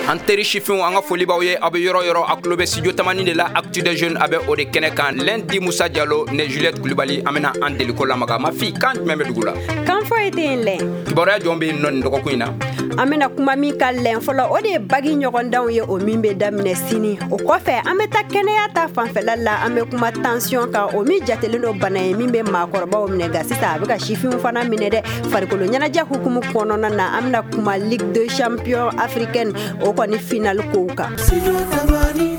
An teri sifinw, an ka foli b'aw ye. Aw bɛ yɔrɔ yɔrɔ, a tulo bɛ Studio Tamani de la. Actu des jeunes, a bɛ o de kɛnɛ kan. Lundi, Musa Jalo ne Juliette Kulibali, an bɛna an deliko lamaga. Ma fi, kan jumɛn bɛ dugu la? Kan foyi tɛ yen lɛ. Kibaruya jɔn bɛ yen nɔ nin dɔgɔkun in na? An bɛna kuma min kan lɛn fɔlɔ, o de ye bagi ɲɔgɔndanw ye, o min bɛ daminɛ sini. O kɔfɛ, an bɛ taa kɛnɛya ta fanfɛla la. An bɛ kuma tension kan, o min jatelen don bana ye min bɛ maakɔrɔbaw minɛ, nka sisan a bɛ ka sifinw fana minɛ dɛ. Farikolo ɲɛnajɛ hukumu kɔnɔna na, an bɛna kuma Ligue des champions africaine, o kɔni final kow kan.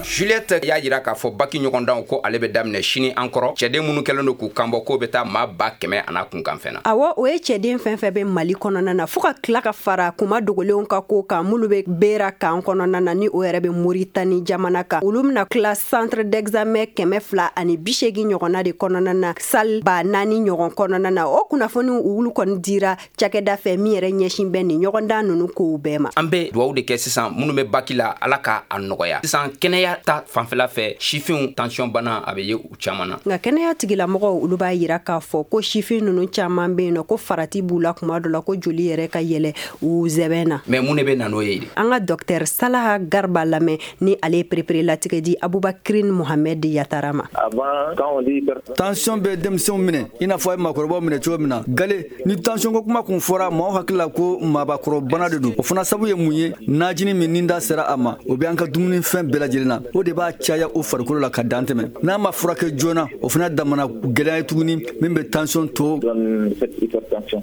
Juliette y'a jira k'a fɔ baki ɲɔgɔndanw ko ale bɛ daminɛ sini. An kɔrɔ, cɛden minnu kɛlen don k'u kanbɔ, k'o bɛ taa maa 100,000 a n'a kunkanfɛn na. Awɔ, o ye cɛden fɛn fɛn bɛ Mali kɔnɔna na, fo ka tila ka fara kuma dogolenw ka ko kan, minnu bɛ Bera kan kɔnɔna na, ni o yɛrɛ bɛ Moritani jamana kan. Olu bɛna tila centre d'examen 280 ɲɔgɔnna de kɔnɔna na, salle 4000 ɲɔgɔn kɔnɔna na. O kunnafoniw, olu kɔni dira cakɛda fɛ min yɛrɛ ɲɛsin bɛ nin ɲɔgɔndan ninnu kow bɛɛ ma. An bɛ dugawu de kɛ sisan, minnu bɛ baki la, Ala ka a nɔgɔya. Sisan, kɛnɛya ta fanfɛla fɛ, sifinw, tension bana a bɛ ye u caman na. Nka kɛnɛya tigilamɔgɔw, olu b'a yira k'a fɔ ko sifin ninnu caman bɛ yen nɔ, ko farati b'u la kuma dɔ la, ko joli yɛrɛ ka yɛlɛ u zɛbɛn na. Mais mun de bɛ na n'o ye? An ka docteur Salaha Garba lamɛn, ni ale ye perepere latigɛ di Abubakirin Mohamɛd Yatara ma. Tension bɛ denmisɛnw minɛ i n'a fɔ a ye maakɔrɔbaw minɛ cogo min na. Gale ni tension ko kuma kun fɔra, maaw hakili la ko maabakɔrɔbana de don. O fana sabu ye mun ye? Najini min ni da sera a ma, o bɛ an ka dumunifɛn bɛɛ lajɛlen na, o de b'a caya o farikolo la ka dan tɛmɛ. N'a ma furakɛ joona, o fana damana gɛlɛya ye tuguni min bɛ tension to.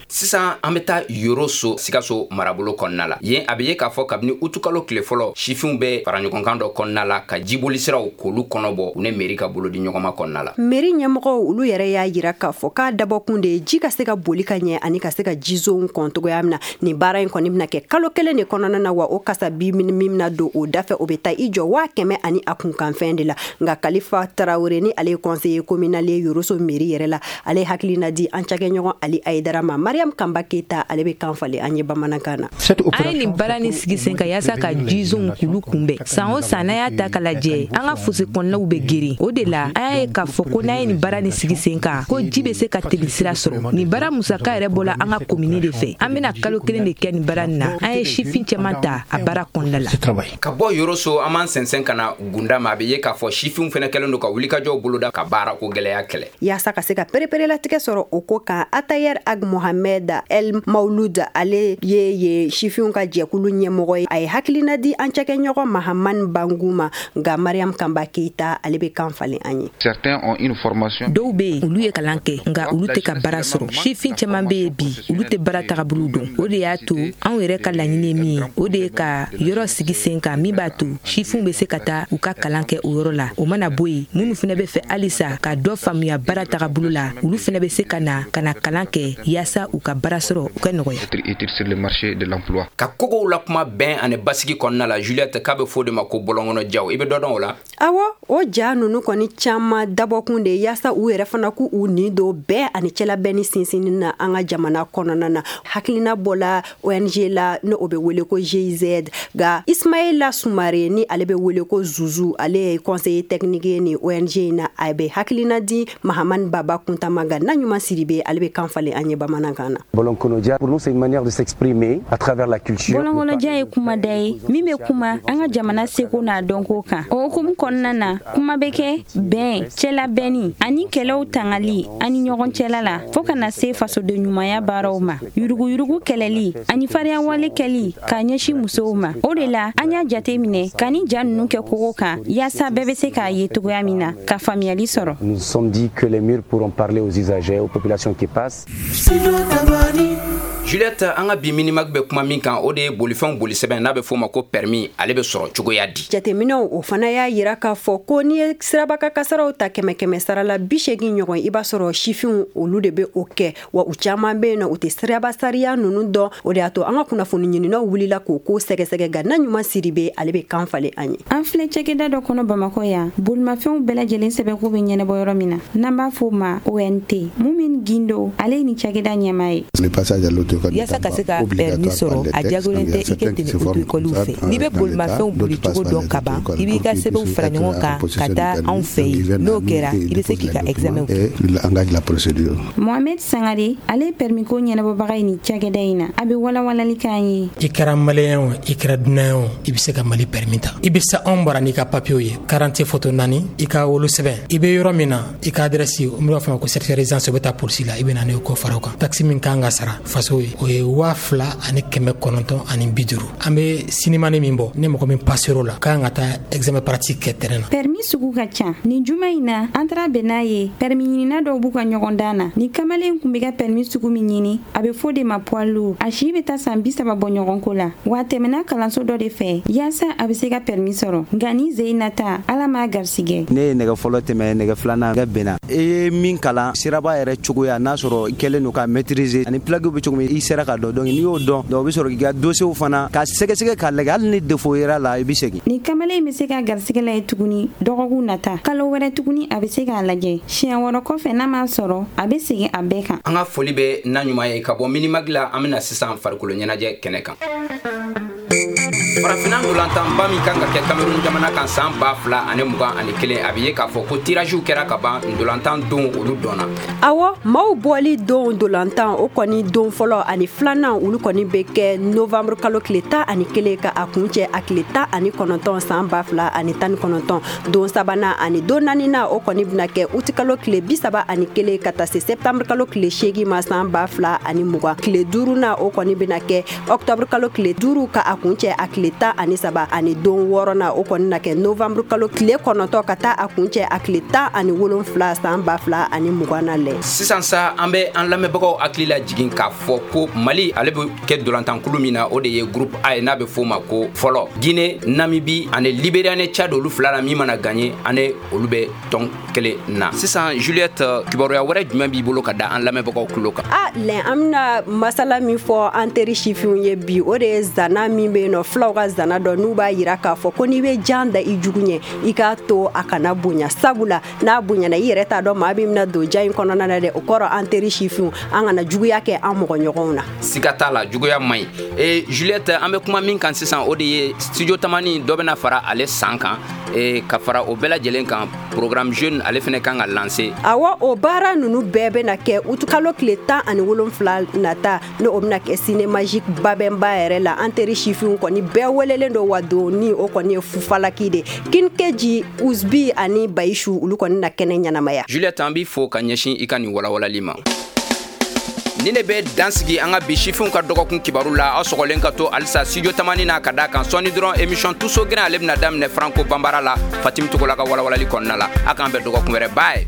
Sisan, an bɛ taa Yoroso, Sikaso marabolo kɔnɔna la. Yen, a bɛ ye k'a fɔ kabini utukalo tile fɔlɔ, sifinw bɛ fara ɲɔgɔnkan dɔ kɔnɔna la ka jiboli siraw k'olu kɔnɔbɔ, u ni mairie ka bolo di ɲɔgɔnma kɔnɔna la. Mairie ɲɛmɔgɔw, olu yɛrɛ y'a yira k'a fɔ k'a dabɔkun de ye ji ka se ka boli ka ɲɛ ani ka se ka jizonw kɔn cogoya min na. Nin baara in kɔni bɛna kɛ kalo 1 de kɔnɔna na, wa o kasabi min bɛna don o dafɛ, o bɛ taa i jɔ 100,000 ani a kunkanfɛn de la. Nka Kalifa Tarawele, ni ale ye conseiller communal ye Yoroso mairie yɛrɛ la, ale hakilina di an cakɛɲɔgɔn Ali Ayidara ma. Mariam Kanba Keyita, ale bɛ kan falen an ye bamanankan na. An ye nin baara ni sigi sen kan yaasa ka jizonw k'olu kunbɛn. San o san, n'an y'a ta ka lajɛ, an ka fosse kɔnɔnaw bɛ geren. O de la, an y'a ye k'a fɔ ko n'an ye nin baara ni sigi sen kan, ko ji bɛ se ka teli sira sɔrɔ. Nin baara musaka yɛrɛ bɔla an ka komini de fɛ. An bɛna kalo 1 de kɛ nin baara nin na. An ye sifin caman ta a baara kɔnɔna la. Ka bɔ Yoroso, an b'an sɛnsɛn ka na Gunda ma. A bɛ ye k'a fɔ sifinw fɛnɛ kɛlen don ka wulikajɔw boloda ka baara ko gɛlɛya kɛlɛ. Yaasa ka se ka pereperelatigɛ sɔrɔ o ko kan, Atayɛr Ag Mohamed El Maulud, ale ye sifinw ka jɛkulu ɲɛmɔgɔ ye, a ye hakilina di an cakɛɲɔgɔn Mahamani Bangu ma. Nka Mariam Kanba Keyita, ale bɛ kan falen an ye. Dɔw bɛ yen, olu ye kalan kɛ, nka olu tɛ ka baara sɔrɔ. Sifin caman bɛ yen bi, olu tɛ baara tagabolo dɔn. O de y'a to anw yɛrɛ ka laɲini ye min ye, o de ye ka yɔrɔ sigi sen kan min b'a to sifinw bɛ se ka taa u ka kalan kɛ o yɔrɔ la. O mana bɔ yen, minnu fana bɛ fɛ halisa ka dɔ faamuya baara tagabolo la, olu fana bɛ se ka na ka na kalan kɛ yaasa u ka baara sɔrɔ u ka nɔgɔya. Ka kogow la kuma bɛn ani basigi kɔnɔna la, Juliette, k'a bɛ fɔ o de ma ko bɔlɔnkɔnɔ jaw. I bɛ dɔ dɔn o la? Awɔ, o ja ninnu kɔni caman dabɔkun de yaasa u yɛrɛ fana k'u u nin don bɛn ani cɛlabɛn ni sinsinni na an ka jamana kɔnɔna na. Hakilina bɔla ONG la, ni o bɛ wele ko GIZ. Nka Ismaila Sumare, ni ale bɛ wele ko Zuzu, ale ye conseiller technique ye nin ONG in na, a bɛ hakilina di Mahamani Baba Kuntama. Nka na ɲuman Siribe, ale bɛ kan falen an ye bamanankan na. Bɔlɔnkɔnɔja, pour nous, c'est une manière de s'exprimer à travers la culture. Bɔlɔnkɔnɔja ye kumada ye min bɛ kuma an ka jamana seko n'a dɔnko kan. O hukumu kɔnɔna na, kuma bɛ kɛ bɛn, cɛlabɛnni ani kɛlɛw tangali ani ɲɔgɔn cɛla la, fɔɔ ka na se fasoden ɲumanya baaraw ma, yuruguyurugu kɛlɛli ani fariyawale kɛli k'a ɲɛsin musow ma. O de la, an y'a jate minɛ ka ni ja ninnu kɛ kogo kan, yaasa bɛɛ bɛ se k'a ye cogoya min na ka faamuyali sɔrɔ. Nous nous sommes dit que les murs pourront parler aux usagers, aux populations qui passent. Juliette, an ka bi Minimag bɛ kuma min kan, o de ye bolifɛnw boli sɛbɛn, n'a bɛ f'o ma ko permis, ale bɛ sɔrɔ cogoya di? Jateminɛw, o fana y'a yira k'a fɔ ko n'i ye sirabaka kasaraw ta, kɛmɛ kɛmɛ sara la 80 ɲɔgɔn, i b'a sɔrɔ sifinw, olu de bɛ o kɛ. Wa u caman bɛ yen nɔ, u tɛ siraba sariya ninnu dɔn. O de y'a to an ka kunnafoni ɲininaw wulila k'o ko sɛgɛsɛgɛ. Nka na ɲuman Siribe, ale bɛ kan falen an ye. An filɛ cakɛda dɔ kɔnɔ Bamakɔ yan, bolimafɛnw bɛɛ lajɛlen sɛbɛnko bɛ ɲɛnabɔ yɔrɔ min na, n'an b'a fɔ o ma ONT. Mumin Gindo, ale ye nin cakɛda ɲɛmaa ye. Le passage à l'auto. Yaasa ka se ka permis sɔrɔ, a diyagolen tɛ i ka tɛmɛ auto-école fɛ. N'i bɛ bolimafɛnw bolicogo dɔn ka ban, i b'i ka sɛbɛnw fara ɲɔgɔn kan ka taa anw fɛ yen. N'o kɛra, i bɛ se k'i ka examen kɛ. Mohamed Sangare, ale ye permis ko ɲɛnabɔbaga ye nin cakɛda in na, a bɛ walawalali k'an ye. I kɛra Malien o, i kɛra dunan ye o, i bɛ se ka Mali permis ta. I bɛ se anw bara n'i ka papiyew ye, 40 photo naani, i ka wolosɛbɛn, i bɛ yɔrɔ min na, i ka adresse, n b'a fɔ ma ko certificat résidence, o bɛ taa polisi la, i bɛ na n'o ko fara o kan. Taxe min kan ka sara faso ye, o ye 2950. An bɛ sinimani min bɔ, ni mɔgɔ min passer'o la, kan ka taa examen pratique kɛ terrain na. Permis sugu ka ca. Nin juma in na, an taara bɛn n'a ye permis ɲinina dɔw b'u ka ɲɔgɔn dan na. Ni kamalen kun bɛ ka permis sugu min ɲini, a bɛ fɔ de ma poids lourd. A si bɛ taa san 30 bɔ ɲɔgɔn ko la, wa a tɛmɛna kalanso dɔ de fɛ yaasa a bɛ se ka permis sɔrɔ. Nka ni ze in nata, Ala m'a garisigɛ. Ne ye nɛgɛ fɔlɔ tɛmɛ, nɛgɛ filanan kɛ benna. I ye min kalan siraba yɛrɛ cogoya, n'a sɔrɔ i kɛlen don ka maîtriser ani plaque bɛ cogo min, i sera ka dɔn. Donc n'i y'o dɔn, donc o bɛ sɔrɔ k'i ka dossier fana ka sɛgɛsɛgɛ k'a lajɛ, hali ni défaut yera la, i bɛ segin. Ni kamalen bɛ se ka garisigɛ la ye tuguni dɔgɔkun nata, kalo wɛrɛ tuguni a bɛ se k'a lajɛ siɲɛ wɔɔrɔ kɔfɛ. N'a m'a sɔrɔ, a bɛ segin a bɛɛ kan. An ka foli bɛ na ɲuman ye ka bɔ Minimag la. An bɛna sisan farikolo ɲɛnajɛ kɛnɛ kan. Farafinna ndolantanba min kan ka kɛ Cameroun jamana kan san 2021, a bɛ ye k'a fɔ ko tiragew kɛra ka ban, ndolantan don olu dɔnna. Awɔ, maaw bɔli don ndolantan o kɔni don fɔlɔ ani filanan, olu kɔni bɛ kɛ novembre kalo tile 11 ka a kuncɛ a tile 19 san 2019. Don sabanan ani don naaninan, o kɔni bɛna kɛ uti kalo tile 31 ka taa se septembre kalo tile 8 ma san 2020. Tile duurunan, o kɔni bɛna kɛ octobre kalo tile 5 ka a kuncɛ a tile 13, ani don wɔɔrɔnan, o kɔni na kɛ novembre kalo tile 9 ka taa a kuncɛ a tile 17 san 2020 na lɛ. Sisan sa, an bɛ an lamɛnbagaw hakili la jigin k'a fɔ ko Mali, ale bɛ kɛ dolantankulu min na, o de ye groupe A ye, n'a bɛ f'o ma ko fɔlɔ Guinée, Namibie ani Libéria ni Tchad. Olu fila la, min mana gagné, ani olu bɛ tɔn kelen na. Sisan Juliette, kibaruya wɛrɛ jumɛn b'i bolo ka da an lamɛnbagaw tulo kan? A lɛn, an bɛna masala min fɔ an teri sifinw ye bi, o de ye zana min bɛ yen nɔ, fulaw ka zana dɔ n'u b'a yira k'a fɔ ko n'i bɛ jan da i jugu ɲɛ, i k'a to a kana bonya, sabula n'a bonyana, i yɛrɛ t'a dɔn maa min bɛna don ja in kɔnɔna na dɛ. O kɔrɔ, an teri sifinw, an kana juguya kɛ an mɔgɔ ɲɔgɔnw na. Siga t'a la, juguya man ɲi. E Juliette, an bɛ kuma min kan sisan, o de ye Studio Tamani dɔ bɛna fara ale san kan. E ka fara o bɛɛ lajɛlen kan, programme jeune, ale fɛnɛ kan ka lancer. Awɔ, o baara ninnu bɛɛ bɛna kɛ uti kalo tile 17 nata, n'o o bɛna kɛ Cinémagique Babɛnba yɛrɛ la. An teri sifinw kɔni bɛɛ welelen don, wa don ni o kɔni ye fufalaki de. Kinkeji Usbi ani Bayisu, olu kɔni na kɛnɛ ɲɛnamaya. Juliette, an b'i fo ka ɲɛsin i ka nin walawalali ma. Ni ne bɛ dan sigi an ka bi sifinw ka dɔgɔkun kibaru la. Aw sɔgɔlen ka to halisa Studio Tamani na, ka da kan sɔɔni dɔrɔn, émission Tuso Gɛrɛn, ale bɛna daminɛ Franco Banbara la, Fatimi Togola ka walawalali kɔnɔna la. A k'an bɛn dɔgɔkun wɛrɛ, bye.